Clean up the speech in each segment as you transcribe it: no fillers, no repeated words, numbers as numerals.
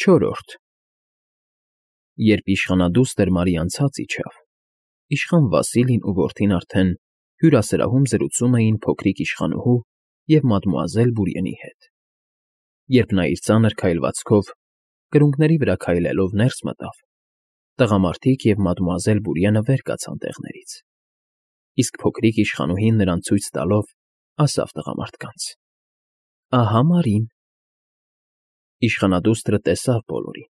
Չորրորդ Երբ իշխանադուստր Մարիան ցած իջավ, իշխան Վասիլին ու որդին արդեն հյուրասրահում զրուցում էին փոքրիկ իշխանուհու և մադմուազել Բուրյենի հետ։ Երբ նա իր ծանր քայլվածքով, կրունկների վրա քայլելով ներս մտավ, տղամարդիկ և մադմուազել Բուրյենը վեր կացան տեղներից, իսկ փոքրիկ իշխանուհին նրան ցույց տալով ասավ տղամարդկանց. «Ահա Մարին»։ Իշխանադուստրը տեսավ բոլորին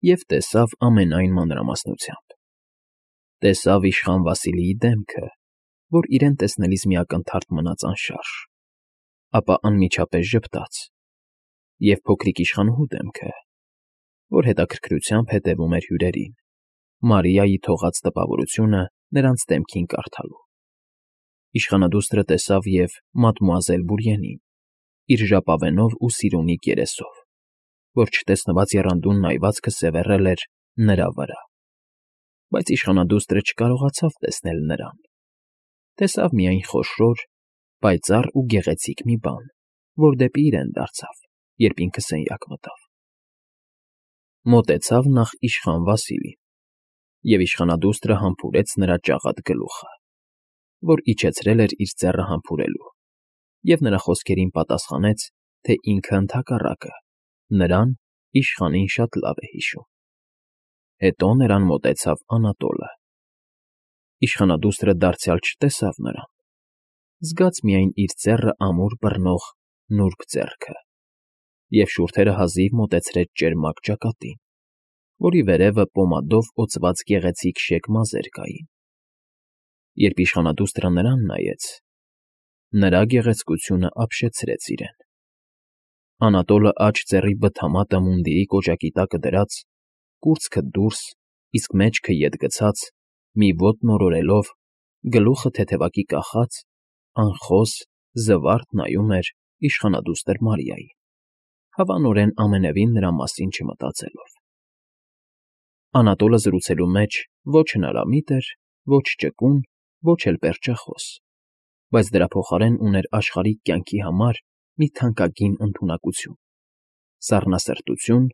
և տեսավ ամենայն մանրամասնությամբ. տեսավ իշխան Վասիլիի դեմքը, որ իրեն տեսնելիս մի ակնթարթ մնաց անշարժ, ապա անմիջապես ժպտաց, և փոքրիկ իշխանուհու դեմքը, որ հետաքրքրությամբ հետևում էր հյուրերին, Մարիայի թողած տպավորությունը նրանց դեմքին կարդալու։ Իշխանադուստրը տեսավ և մադմուազել Բուրյենին, իր ժապավենով ու սիրունիկ երեսով, որ չտեսնված եռանդուն նայվածքը սևեռել էր նրա վրա, բայց իշխանադուստրը չկարողացավ տեսնել նրան, տեսավ միայն խոշոր, պայծառ ու գեղեցիկ մի բան, որ դեպի իրեն դարձավ, երբ ինքը սենյակ մտավ։ Մոտեցավ նախ իշխան Վասիլին, և իշխանադուստրը համբուրեց նրա ճաղատ գլուխը, որ իջեցրել էր իր ձեռը համբուրելու, և նրա խոսքերին պատասխանեց, թե ինքը ընդհակառակը, նրան, իշխանին շատ լավ է հիշում։ Հետո նրան մոտեցավ Անատոլը։ Իշխանադուստրը դարձյալ չտեսավ նրան, զգաց միայն իր ձեռը ամուր բռնող նուրբ ձեռքը և շուրթերը հազիվ մոտեցրեց ճերմակ ճակատին, որի վերևը պոմադով օծված գեղեցիկ շեկ մազեր կային։ Երբ իշխանադուստրը նրան նայեց, նրա գեղեցկությունը ապշեցրեց իրեն։ Անատոլը աջ ծեռի բթամատը մունդիրի կոճակի տակը դրած, կուրծքը դուրս, իսկ մեջքը ետ գցած, մի ոտ նորորելով, գլուխը թեթևակի կախած, անխոս, զվարթ նայում էր իշխանադուստր Մարիային, հավանորեն ամենևին նրա մասին չմտածելով։ Անատոլը զրուցելու մեջ ոչ հնարամիտ էր, ոչ ճկուն, ոչ էլ պերճախոս, բայց դրա փոխարեն ուներ աշխարհիկ կյանքի համար մի թանկագին ընդունակություն, սառնասրտություն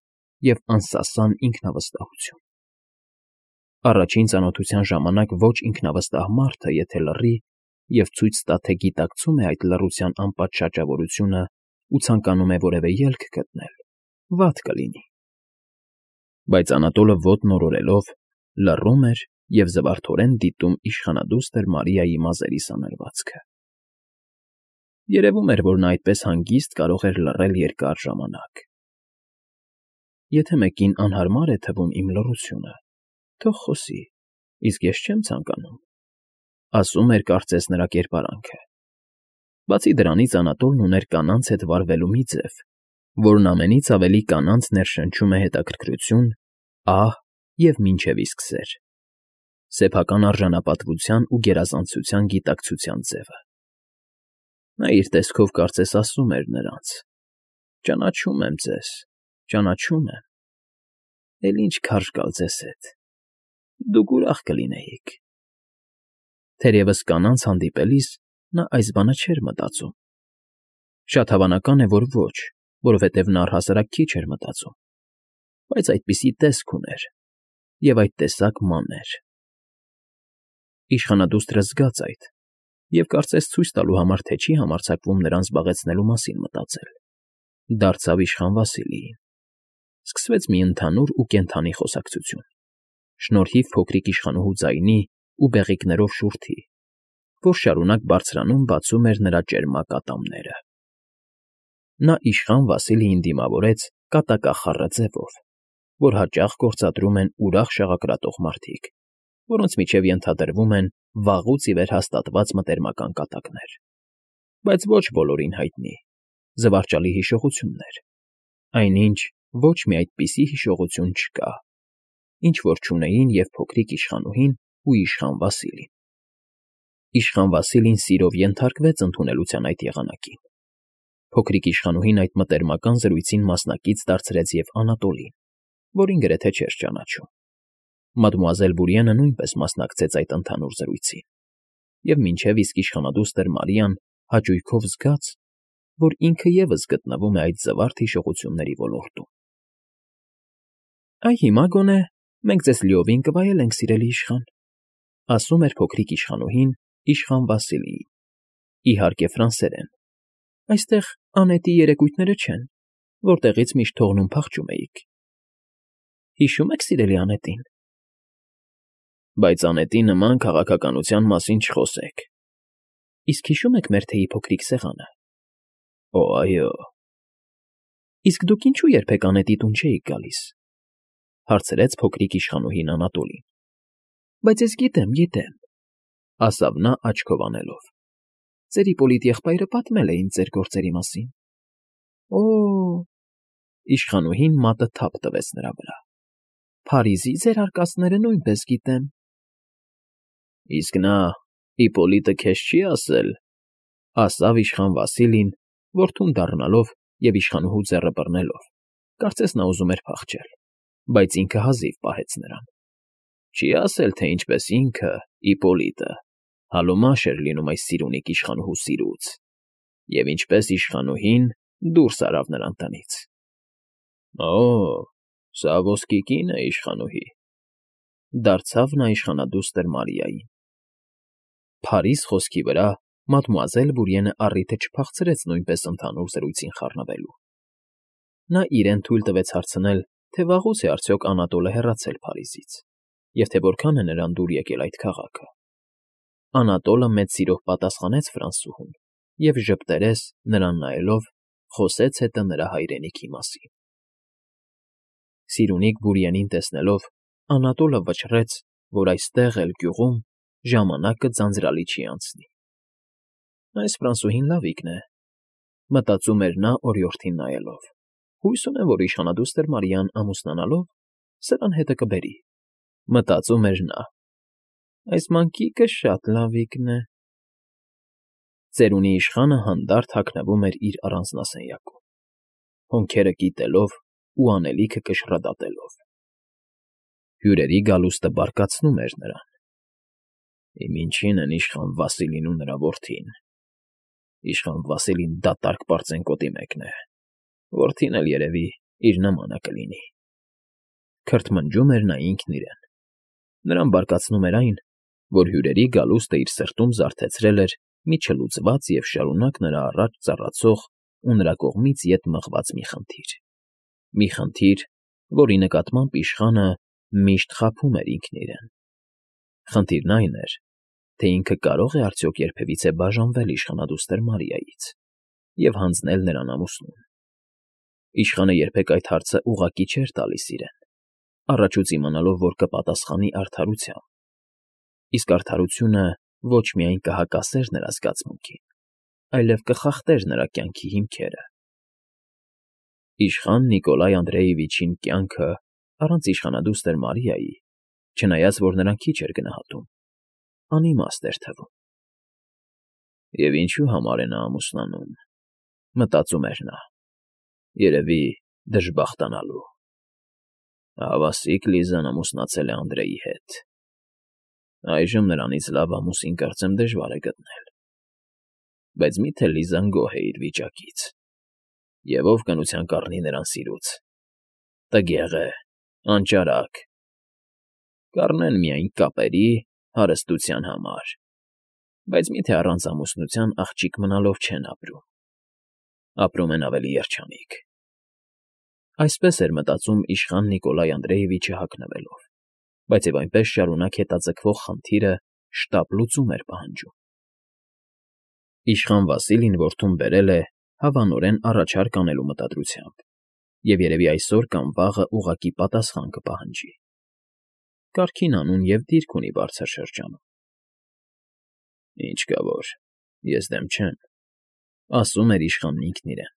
և անսասան ինքնավստահություն։ Առաջին ծանոթության ժամանակ ոչ ինքնավստահ մարդը, եթե լռի և ցույց տա, թե գիտակցում է այդ լռության անպատ շաճավորությունը ու ցանկանում է որևէ ելք գտնել, վատ կլինի։ Բայց Անատոլը ոտ նորորելով, լռում էր և զվարթորեն դիտում իշխանադուստր Մարիայի մազերի սանրվածքը։ Երևում էր, որ նա այդպես հանգիստ կարող էր լռել երկար ժամանակ։ Եթե մեկին անհարմար է թվում իմ լռությունը, թող խոսի, իսկ ես չեմ ցանկանում, ասում էր կարծես նրա կերպարանքը։ Բացի դրանից Անատոլն ուներ կանանց հետ վարվելու մի ձև, որն ամենից ավելի կանանց ներշնչում է հետաքրքրություն, ահ և մինչև իսկ սեր, սեփական արժանապատվության ու գերազանցության գիտակցության ձևը։ Նա իր տեսքով կարծես ասում էր նրանց. «Ճանաչում եմ ձեզ, ճանաչում եմ, էլ ինչ քարշ գալ ձեզ հետ, դուք ուրախ կլինեիք»։ Թերևս կանանց հանդիպելիս նա այս բանը չէր մտածում։ Շատ հավանական է, որ ոչ, որովհետև նա առհասարակ քիչ էր մտածում, բայց այդպիսի տեսք ուներ և այդ տեսակ մանր։ Իշխանադուստրը զգաց այդ և կարծես ցույց տալու համար, թե չի համարձակվում նրան զբաղեցնելու մասին մտածել, դարձավ իշխան Վասիլիին։ Սկսվեց մի ընդհանուր ու կենդանի խոսակցություն, շնորհիվ փոքրիկ իշխանուհու ձայնի ու բեղիկներով շուրթի, որ շարունակ բարձրանում֊բացում էր նրա ճերմակ ատամները։ Նա իշխան Վասիլիին դիմավորեց կատակախառը ձևով, որ հաճախ գործադրում են ուրախ շաղակրատող մարդիկ, որոնց միջև ենթադրվում են վաղուց ի վեր հաստատված մտերմական կատակներ, բայց ոչ բոլորին հայտնի, զվարճալի հիշողություններ, այնինչ ոչ մի այդպիսի հիշողություն չկա, ինչ որ չունեին և փոքրիկ իշխանուհին ու իշխան Վասիլին։ Իշխան Վասիլին սիրով ենթարկվեց ընդունելության այդ եղանակին։ Փոքրիկ իշխանուհին այդ մտերմական զրույցին մասնակից դարձրեց և Անատոլին, որին գրեթե չէր ճանաչում։ Մադմուազել Բուրյենը նույնպես մասնակցեց այդ ընդհանուր զրույցին, և մինչև իսկ իշխանադուստր Մարիան հաճույքով զգաց, որ ինքը ևս գտնվում է այդ զվարթ հիշողությունների ոլորտում։ Այ հիմա գոնե մենք ձեզ լիովին կվայելենք, սիրելի իշխան, ասում էր փոքրիկ իշխանուհին իշխան Վասիլիին, իհարկե ֆրանսերեն. այստեղ անետի երեկույթները չեն, որտեղից միշտ թողնում փախչում էիք։ Հիշո՞ւմ եք, սիրելի անետին։ Բայց անետի նման քաղաքականության մասին չխոսեք։ Իսկ հիշո՞ւմ եք մեր թեյի փոքրիկ սեղանը։ Օ, այո։ Իսկ դուք ինչու երբեք անետի տուն չէիք գալիս, հարցրեց փոքրիկ իշխանուհին Անատոլին։ Բայց ես գիտեմ, ասավ նա աչքով անելով։ Ձեր Իպոլիտ եղբայրը պատմել է ինձ ձեր գործերի մասին։ Օ, իշխանուհին մատը թափ տվեց նրա վրա։ Փարիզի ձեր արկածները նույնպես գիտեմ։ Իսկ նա Իպոլիտը քեզ չի ասել, ասավ իշխան Վասիլին, որդուն դառնալով և իշխանուհու ձեռը բռնելով, կարծես նա ուզում էր փախչել, բայց ինքը հազիվ պահեց նրան։ Չի ասել, թե ինչպես ինքը, Իպոլիտը, հալոմաշ էր լինում այս սիրունիկ իշխանուհու սիրուց, և ինչպես իշխանուհին դուրս արավ նրան տնից։ Օ, սա ոսկի կին է, իշխանուհի, դարձավ նա իշխանադուստր Մարիային։ Փարիզ խոսքի վրա մադմուազել Բուրիենը առիթը չփախցրեց նույնպես ընդհանուր զրույցին խառնվելու։ Նա իրեն թույլ տվեց հարցնել, թե վաղուց է արդյոք Անատոլը հեռացել Փարիզից, և թե որքան է նրան դուր եկել այդ քաղաքը։ Անատոլը մեծ սիրով պատասխանեց ֆրանսուհուն և ժպտերես, նրան նայելով, խոսեց հետը նրա հայրենիքի մասին։ Սիրունիկ Բուրիենին տեսնելով, Անատոլը վճռեց, որ այստեղ էլ գյուղում ժամանակը ձանձրալի չի անցնի։ Այս ֆրանսուհին լավիկն է, մտածում էր նա օրիորդին նայելով։ Հույս ունեմ, որ իշխանադուստր Մարիան ամուսնանալով սրան հետը կբերի, մտածում էր նա։ Այս մանկիկը շատ լավիկն է։ Ծերունի իշխանը հանդարտ հագնվում էր իր առանձնասենյակում, հոնքերը կիտելով ու անելիքը կշռադատելով։ Հյուրերի գալուստը բարկացնում էր նրան։ Իմ ինչին են իշխան Վասիլին ու նրա որդին։ Իշխան Վասիլին դատարկ պարծենկոտի մեկն է, որդին էլ երևի իր նմանը կլինի։ Քրթմնջում էր նա ինքն իրեն։ Նրան բարկացնում էր այն, որ հյուրերի գալուստը իր սրտում զարթեցրել էր մի չլուծված և շարունակ նրա առաջ ծառացող ու նրա կողմից ետ մղված մի խնդիր։ Մի խնդիր, որի նկատմամբ իշխանը միշտ խաբում էր ինքն իրեն։ Խնդիրն այն էր, թե ինքը կարո՞ղ է արդյոք երբևիցե բաժանվել իշխանադուստր Մարիայից և հանձնել նրան ամուսնուն։ Իշխանը երբեք այդ հարցը ուղղակի չէր տալիս իրեն, առաջուց իմանալով, որ կպատասխանի արդարությամբ, իսկ արդարությունը ոչ միայն կհակասեր նրա զգացմունքին, այլև կխախտեր նրա կյանքի հիմքերը։ Իշխան Նիկոլայ Անդրեևիչին կյանքը առանց իշխանադուստր Մարիայի, չնայած որ նրան քիչ էր գնահատում, անիմաստ էր թվում։ Եվ ինչու համար է նա ամուսնանում, մտածում էր նա, երևի դժբախտանալու։ Հավասիկ Լիզան ամուսնացել է Անդրեի հետ։ Այժմ նրանից լավ ամուսին կարծեմ դժվար է գտնել։ Բայց մի՞թե Լիզան գոհ է իր վիճակից, և ով կնության կառնի նրան սիրուց։ Տգեղ է, անճարակ։ Կառնեն միայն կապերի, հարստության համար, բայց մի՞թե առանց ամուսնության աղջիկ մնալով չեն ապրում։ Ապրում են ավելի երջանիկ։ Այսպես էր մտածում իշխան Նիկոլայ Անդրեևիչը հագնվելով, բայց և այնպես շարունակ հետաձգվող խնդիրը շտապ լուծում էր պահանջում։ Իշխան Վասիլին որդուն բերել է հավանորեն առաջարկ անելու մտադրությամբ, և երևի այսօր կամ վաղը ուղղակի պատասխան կպահանջի։ Կարգին անուն և դիրք ունի բարձր շրջանում։ Ինչ կա որ, ես դեմ չեմ, ասում էր իշխանն ինքն իրեն,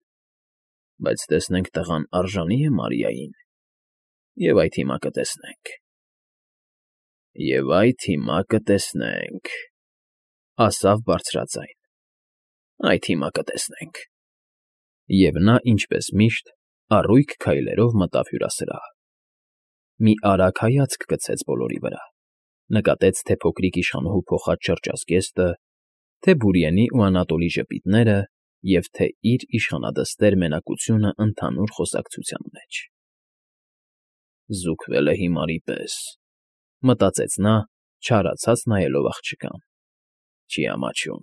բայց տեսնենք տղան արժանի՞ է Մարիային, և այդ հիմա կտեսնենք։ Եվ այդ հիմա կտեսնենք, ասավ բարձրաձայն, այդ հիմա կտեսնենք։ Եվ նա, ինչպես միշտ, առույգ քայլերով մտավ հյուրասրահ։ Մի արագ հայացք գցեց բոլորի վրա, նկատեց թե փոքրիկ իշխանուհու փոխած շրջազգեստը, թե Բուրիենի ու Անատոլի ժպիտները և թե իր իշխանադստեր մենակությունը ընդհանուր խոսակցության մեջ։ Զուգվել է հիմարի պես, մտածեց նա, չարացած նայելով աղջկան։ Չի ամաչում։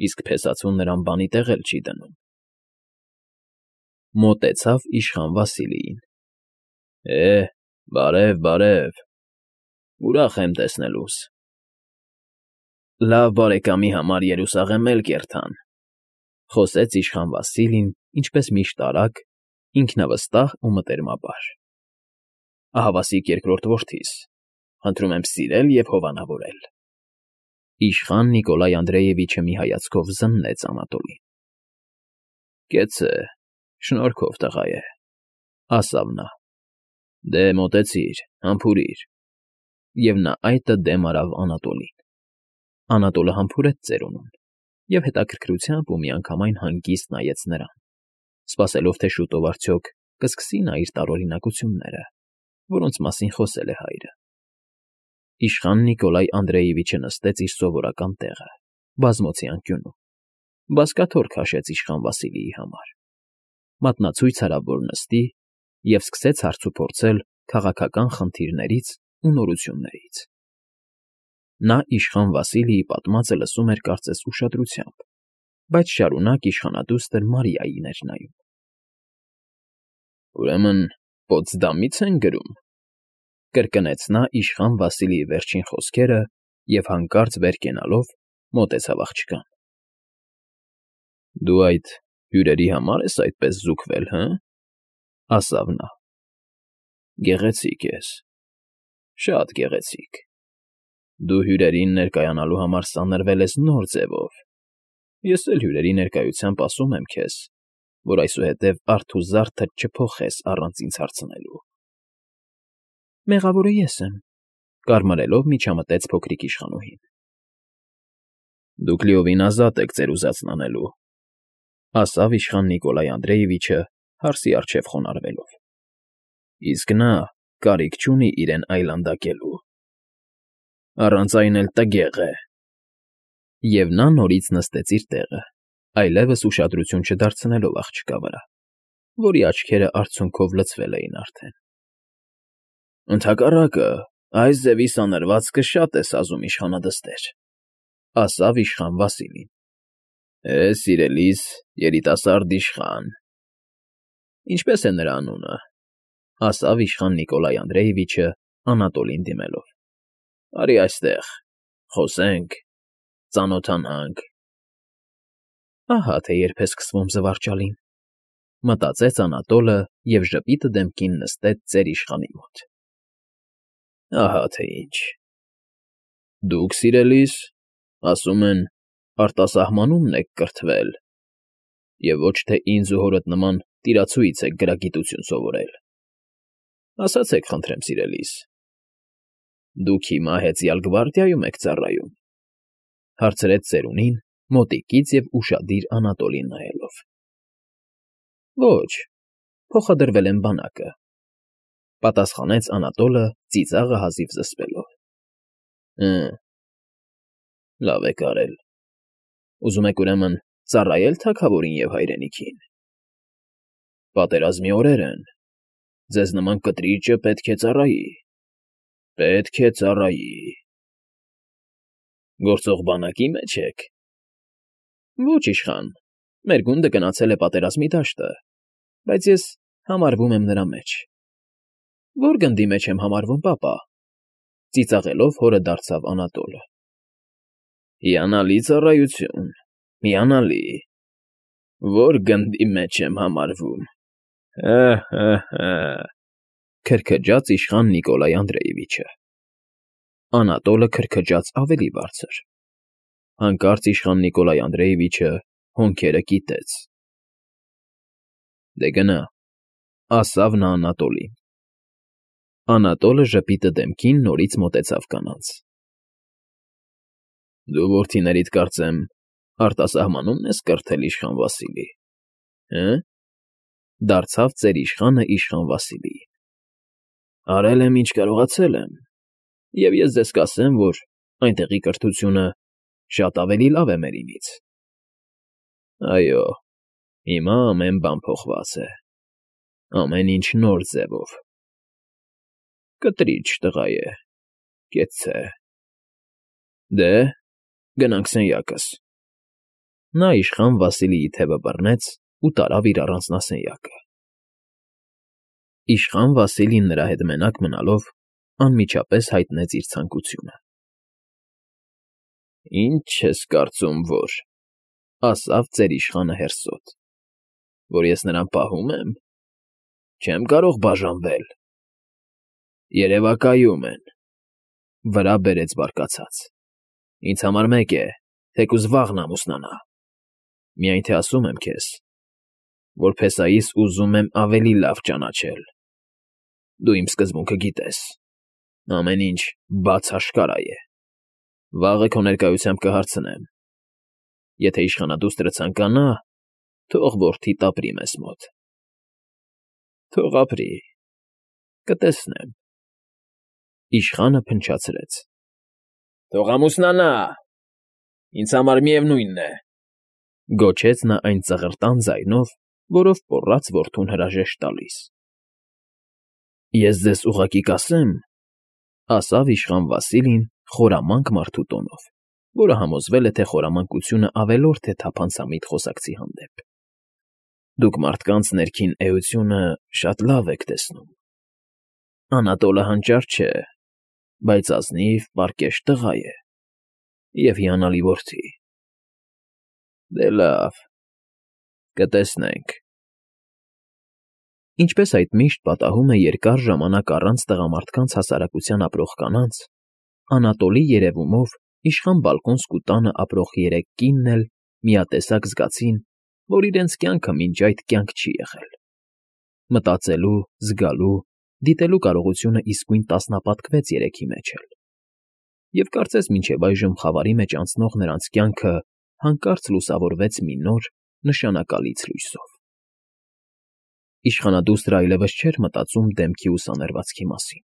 Իսկ փեսացուն նրան բանի տեղ էլ չի դնում։ Մոտեցավ իշխան Վասիլիին։ Բարև, բարև, ուրախ եմ տեսնելուս։ Լավ բարեկամի համար երուսաղեմ էլ կերթան, խոսեց իշխան Վասիլին, ինչպես միշտ արագ, ինքնավստահ ու մտերմաբար։ Ահավասիկ երկրորդ որդիս, խնդրում եմ սիրել և հովանավորել։ Իշխան Նիկոլայ Անդրեևիչը մի հայացքով զննեց Անատոլին։ Կեցցե, շնորհքով տղա է, ասավ նա։ Դե մոտեցիր, համբուրիր։ Եվ նա այտը դեմ արավ Անատոլին։ Անատոլը համբուրեց ծերունուն և հետաքրքրությամբ ու միանգամայն հանգիստ նայեց նրան, սպասելով, թե շուտով արդյոք կսկսի նա իր տարօրինակությունները, որոնց մասին խոսել է հայրը։ Իշխան Նիկոլայ Անդրեևիչը նստեց իր սովորական տեղը, բազմոցի անկյունում, բազկաթոռ քաշեց իշխան Վասիլիի համար, մատնացույց արավ, որ նստի, և սկսեց հարցուփորձել քաղաքական խնդիրներից ու նորություններից։ Նա իշխան Վասիլիի պատմածը լսում էր կարծես ուշադրությամբ, բայց շարունակ իշխանադուստր Մարիային էր նայում։ Ուրեմն Պոտսդամի՞ց են գրում, կրկնեց նա իշխան Վասիլիի վերջին խոսքերը և հանկարծ վեր կենալով մոտեցավ աղջկան։ Դու այդ հյուրերի համար ես այդպես զուգվել, հը՞, ասավ նա։ Գեղեցիկ ես, շատ գեղեցիկ։ Դու հյուրերին ներկայանալու համար սանրվել ես նոր ձևով։ Ես էլ հյուրերի ներկայությամբ ասում եմ քեզ, որ այսուհետև արդ ու զարդդ չփոխես առանց ինձ հարցնելու։ Մեղավորը ես եմ, կարմրելով միջամտեց փոքրիկ իշխանուհին։ Դուք լիովին ազատ եք ձեր ուզածն անելու, ասավ իշխան Նիկոլայ Անդրեևիչը հարսի առջև խոնարհվելով։ Իսկ նա կարիք չունի իրեն այլանդակելու։ Առանց այն էլ տգեղ է։ Եվ նա նորից նստեց իր տեղը, այլևս ուշադրություն չդարձնելով աղջկա վրա, որի աչքերը արցունքով լցվել էին արդեն։ Ընդհակառակը, այս ձևի սանրվածքը շատ է սազում իշխանադստեր, ասավ իշխան Վասիլին։ Սիրելիս, երիտասարդ իշխան։ Ինչպե՞ս է նրա անունը, ասավ իշխան Նիկոլայ Անդրեևիչը Անատոլին դիմելով։ Արի այստեղ, խոսենք, ծանոթանանք։ Ահա թե երբ է սկսվում զվարճալին, մտածեց Անատոլը և ժպիտը դեմքին նստեց ծեր իշխանի մոտ։ Ահա թե ինչ։ Դուք, սիրելիս, ասում են, արտասահմանումն եք կրթվել, և ոչ թե ինձ ու հորդ նման տիրացուից եք գրագիտություն սովորել։ Ասացեք, խնդրեմ, սիրելիս, դուք հիմա հեծյալ գվարդիայում եք ծառայում, հարցրեց ծերունին մոտիկից և ուշադիր Անատոլին նայելով։ Ոչ, փոխադրվել եմ բանակը, պատասխանեց Անատոլը ծիծաղը հազիվ զսպելով։ Լավ եք արել։ Ուզում եք ուրեմն ծառայել թագավորին և հայրենիքին։ Պատերազմի օրեր են, ձեզ նման կտրիճը պետք է ծառայի։ Պետք է ծառայի։ Գործող բանակի մեջ եք։ Ոչ, իշխան, մեր գունդը գնացել է պատերազմի դաշտը, բայց ես համարվում եմ նրա մեջ։ Ո՞ր գնդի մեջ եմ համարվում, պապա, ծիծաղելով հորը դարձավ Անատոլը։ Հիանալի ծառայություն, հիանալի։ Ո՞ր գնդի մեջ եմ համարվում։ Քրքջաց իշխան Նիկոլայ Անդրեևիչը։ Անատոլը քրքջաց ավելի բարձր։ Հանկարծ իշխան Նիկոլայ Անդրեևիչը հոնքերը կիտեց։ Դե գնա, ասավ նա Անատոլին։ Անատոլը ժպիտը դեմքին նորից մոտեցավ կանանց։ Դու որդիներիդ, կարծեմ, արտասահմանումն ես կրթել իշխան Վասիլի, դարձավ ծեր իշխանը իշխան Վասիլիին։ Արել եմ, ինչ կարողացել եմ, և ես ձեզ կասեմ, որ այնտեղի կրթությունը շատ ավելի լավ է մերինից։ Այո, հիմա ամեն բան փոխված է, ամեն ինչ նոր ձևով։ Կտրիչ տղա է, կեցցե։ Դե, գնանք սենյակս։ Նա իշխան Վասիլիի թևը բռնեց ու տարավ իր առանձնասենյակը։ Իշխան Վասիլին նրա հետ մենակ մնալով անմիջապես հայտնեց իր ցանկությունը։ Ինչ ես կարծում, որ, ասավ ծեր իշխանը հերսոտ, որ ես նրան պահում եմ, չեմ կարող բաժանվել։ Երևակայում են, վրա բերեց բարկացած։ Ինձ համար մեկ է, թեկուզ վաղն ամուսնանա, միայն թե ասում եմ քեզ, որ փեսայիս ուզում եմ ավելի լավ ճանաչել։ Դու իմ սկզբունքը գիտես, ամեն ինչ բաց աշխարհ է։ Վաղը քո ներկայությամբ կհարցնեմ. եթե իշխանադուստրը ցանկանա, թող որդիդ ապրի մեզ մոտ։ Թող ապրի, կտեսնեմ։ Իշխանը փնչացրեց։ Թող ամուսնանա, ինձ համար միևնույնն է, գոչեց նա այն ծղրտան ձայնով, որով պոռաց որդուն հրաժեշտ տալիս։ Ես ձեզ ուղղակի կասեմ, ասավ իշխան Վասիլին խորամանկ մարդու տոնով, որը համոզվել է, թե խորամանկությունը ավելորդ է թափանցամիտ խոսակցի հանդեպ։ Դուք մարդկանց ներքին էությունը շատ լավ եք տեսնում։ Անատոլը հանճար չէ, բայց ազնիվ, պարկեշտ տղա է և հիանալի որդի։ Դե լավ, կտեսնենք։ Ինչպես այդ միշտ պատահում է երկար ժամանակ առանց տղամարդկանց հասարակության ապրող կանանց, Անատոլի երևումով իշխան Բալկոնսկու տանը ապրող երեք կինն էլ միատեսակ զգացին, որ իրենց կյանքը մինչ այդ կյանք չի եղել։ Մտածելու, զգալու, դիտելու կարողությունը իսկույն տասնապատկվեց երեքի մեջ էլ։ Եվ կարծես մինչև այժմ խավարի մեջ անցնող նրանց կյանքը հանկարծ լուսավորվեց մի նոր, նշանակալից լույսով։ Իշխանադուստրը այլևս չէր մտածում դեմքի ու սաներվածքի մասին։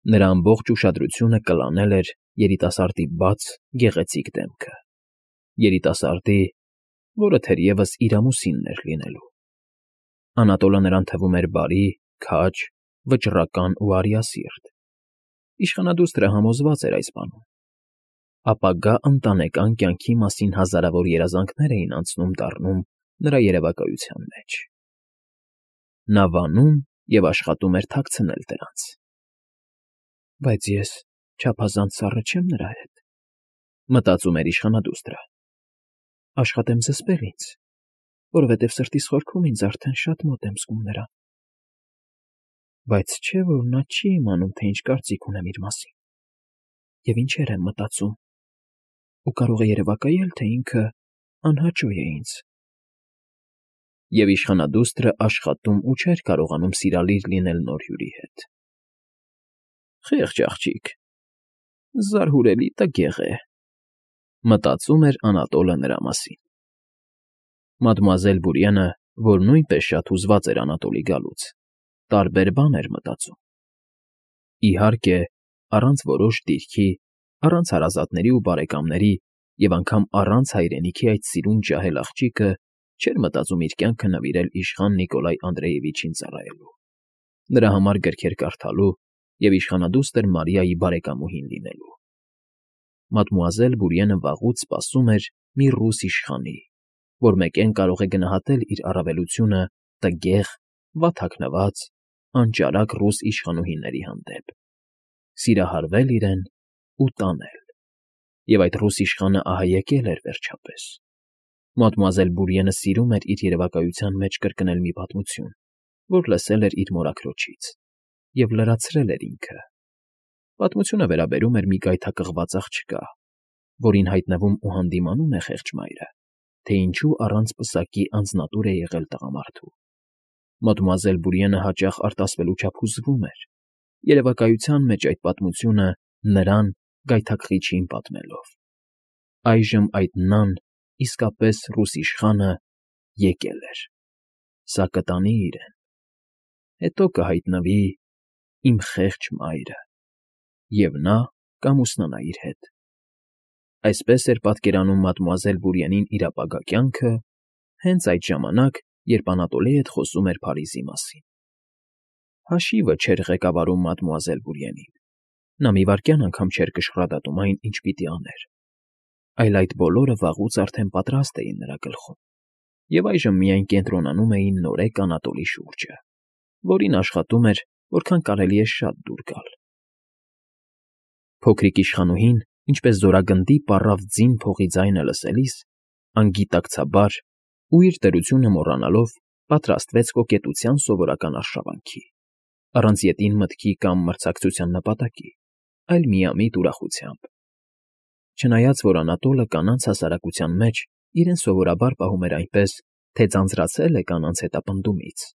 Նրա ամբողջ ուշադրությունը կլանել էր երիտասարդի բաց, գեղեցիկ դեմքը։ Երիտասարդի, որը թերևս իր ամուսինն էր լինելու։ Անատոլը նրան թվում էր բարի, քաջ, վճռական ու արիասիրտ։ Իշխանադուստրը համոզված էր այս բանում։ Ապագա ընտանեկան կյանքի մասին հազարավոր երազանքներ էին անցնում֊դառնում նրա երևակայության մեջ։ Նա վանում և աշխատում էր թաքցնել դրանց։ Բայց ես չափազանց սառը չեմ նրա հետ, մտածում էր իշխանադուստրը։ Աշխատեմ զսպել ինձ, որովհետև սրտիս խորքում ինձ արդեն շատ մոտ եմ զգում նրան։ Բայց չէ՞ որ նա չի իմանում, թե ինչ կարծիք ունեմ իր մասին, և ինչեր եմ մտածում, ու կարող է երևակայել, թե ինքը անհաճո է ինձ։ Եվ իշխանադուստրը աշխատում ու չէր կարողանում սիրալիր լինել նոր հյուրի հետ։ Խեղճ աղջիկ, զարհուրելի տգեղ է, մտածում էր Անատոլը նրա մասին։ Մադմուազել Բուրյանը, որ նույնպես շատ հուզված էր Անատոլի գալուց, տարբեր բան էր մտածում։ Իհարկե, առանց որոշ դիրքի, առանց հարազատների ու բարեկամների և անգամ առանց հայրենիքի այդ սիրուն ջահել աղջիկը չէր մտածում իր կյանքը նվիրել իշխան Նիկոլայ Անդրեևիչին ծառայելու, նրա համար գրքեր կարդալու և իշխանադուստր Մարիայի բարեկամուհին լինելու։ Մադմուազել Բուրյանը վաղուց սպասում էր մի ռուս իշխանի, որ մեկեն կարող է գնահատել իր առավելությունը տգեղ, վատթաքնված, անճարակ ռուս իշխանուհիների հանդեպ, սիրահարվել իրեն ու տանել։ Եվ այդ ռուս իշխանը ահա եկել էր վերջապես։ Մադմուազել Բուրյանը սիրում էր իր երևակայության մեջ կրկնել մի պատմություն, որ լսել էր իր մորաքրոջից, և լրացրել էր ինքը։ Պատմությունը վերաբերում էր մի գայթակղված աղջկա, որին հայտնվում ու հանդիմանում է խեղճ մայրը, թե ինչու առանց պսակի անձնատուր է եղել տղամարդու։ Մադմուազել Բուրյանը հաճախ արտասվելու չափ հուզվում էր, երևակայության մեջ այդ պատմությունը նրան գայթակղիչին պատմելով։ Այժմ այդ նան, իսկապես ռուս իշխանը, եկել էր։ Սա կտանի իրեն։ Հետո կհայտնվի իմ խեղճ մայրը, և նա կամուսնանա իր հետ։ Այսպես էր պատկերանում մադմուազել Բուրյանին իր ապագա կյանքը, հենց այդ ժամանակ, երբ Անատոլի հետ խոսում էր Փարիզի մասին։ Հաշիվը չէր ղեկավարում մադմուազել Բուրիենին։ Նա մի վայրկյան անգամ չէր կշռադատում այն, ինչ պիտի աներ, այլ այդ բոլորը վաղուց արդեն պատրաստ էին նրա գլխում, և այժմ միայն կենտրոնանում էին նորեկ Անատոլի շուրջը, որին աշխատում էր, որքան կարելի է շատ դուր գալ։ Փոքրիկ իշխանուհին, ինչպես զորագնդի պառավ ձին փողի ձայնը լսելիս, անգիտակցաբար ու իր դրությունը մոռանալով պատրաստվեց կոկետության սովորական արշավանքի, առանց ետին մտքի կամ մրցակցության նպատակի, այլ միամիտ ուրախությամբ։ Չնայած որ Անատոլը կանանց հասարակության մեջ իրեն սովորաբար պահում էր այնպես, թե ձանձրացել է կանանց հետապնդումից,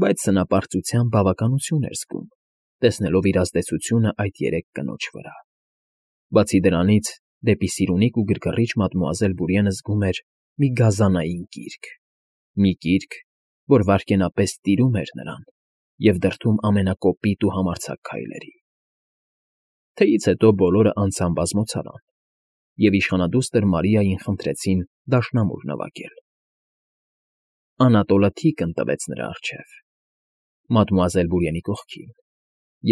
բայց սնապարծության բավականություն էր զգում, տեսնելով իր ազդեցությունը այդ երեք կնոջ վրա։ Բացի դրանից, դեպի սիրունիկ ու գրգռիչ մադմուազել Բուրիենը զգում էր մի գազանային կիրք, որ վայրկենապես տիրում էր նրան և դրդում ամենակոպիտ ու համարձակ քայլերի։ Թեյից հետո բոլորը անձամբ բազմոցար են, և իշխանադուստր Մարիային խնդրեցին դաշնամուր նվագել։ Անատոլը թիկն տվեց նրա առջև, մադմուազել Բուրիենի կողքին,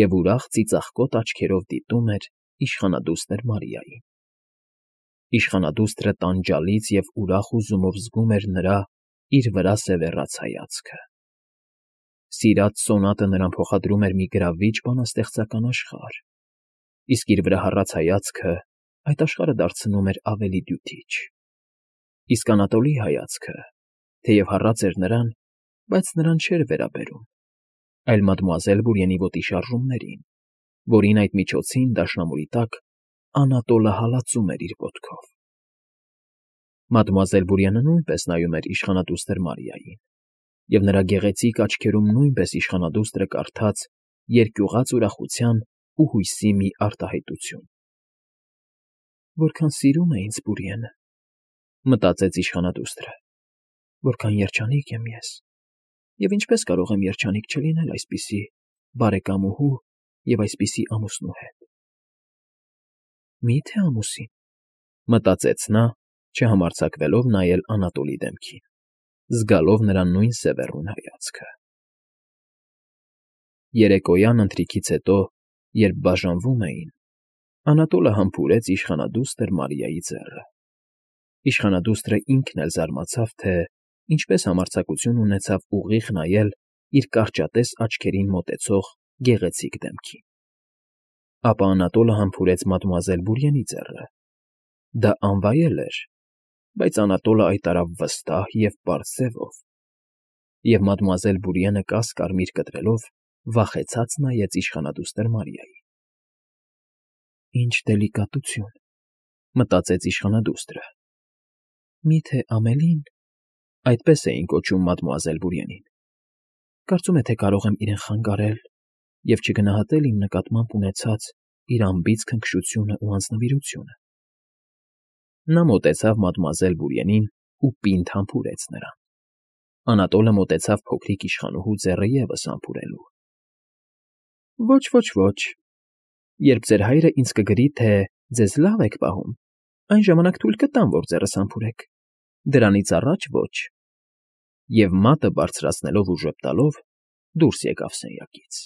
և ուրախ ծիծաղկոտ աչքերով դիտում էր իշխանադուստր Մարիային։ Իշխանադուստրը տանջալից և ուրախ հուզումով զգում էր նրա իր վրա սևեռած հայացքը։ Սիրած սոնատը նրան փոխադրում էր մի գրավիչ բանաստեղծական աշխարհ, իսկ իր վրա հառած հայացքը այդ աշխարհը դարձնում էր ավելի դյութիչ։ Իսկ Անատոլի հայացքը, թեև հառած էր նրան, բայց նրան չէր վերաբերում, այլ մադմուազել Բուրիենի ոտի շարժումներին, որին այդ միջոցին դաշնամուրի տակ Անատոլը հալածում էր իր ոտքով։ Մադմուազել Բուրիենը նույնպես նայում էր իշխանադուստր Մարիային, և նրա գեղեցիկ աչքերում նույնպես իշխանադուստրը կարդաց երկյուղած ուրախության ու հույսի մի արտահայտություն։ «Որքան սիրում է ինձ Բուրիենը», մտածեց իշխանադուստրը, «որքան երջանիկ եմ ես, և ինչպես կարող եմ երջանիկ չլինել այսպիսի բարեկամուհու և այսպիսի ամուսնու հետ»։ «Մի՞թե ամուսին», մտածեց նա, չհամարձակվելով նայել Անատոլի դեմքին, զգալով նրա նույն սևեռուն հայացքը։ Երեկոյան ընթրիքից հետո, երբ բաժանվում էին, Անատոլը համբուրեց իշխանադուստր Մարիայի ձեռը։ Իշխանադուստրը ինքն էլ զարմացավ, թե ինչպես համարձակություն ունեցավ ուղիղ նայել իր կարճատես աչքերին մոտեցող գեղեցիկ դեմքին։ Ապա Անատոլը համբուրեց մադմուազել Բուրիենի ձեռը։ Դա անվայել էր, բայց Անատոլը այդ արավ վստահ և պարզ ձևով, և մադմուազել Բուրիենը կաս֊կարմիր կտրելով վախեցած նայեց իշխանադուստր Մարիային։ «Ինչ դելիկատություն», մտածեց իշխանադուստրը։ Միթե Ամելին (այդպես էին կոչում մադմուազել Բուրիենին) կարծում է, թե կարող եմ իրեն խանգարել և չգնահատել իմ նկատմամբ ունեցած իր անբիծ քնքշությունն ու անձնվիրությունը։ Նա մոտեցավ մադմուազել Բուրիենին ու պինդ համբուրեց նրան։ Անատոլը մոտեցավ փոքրիկ իշխանուհու ձեռը ևս համբուրելու։ «Ոչ, երբ ձեր հայրը ինձ կգրի, թե ձեզ լավ եք պահում, այն ժամանակ թույլ կտամ, որ ձեռս համբուրեք, դրանից առաջ ոչ»։ Եվ մատը բարձրացնելով ու ժպտալով՝ դուրս եկավ սենյակից։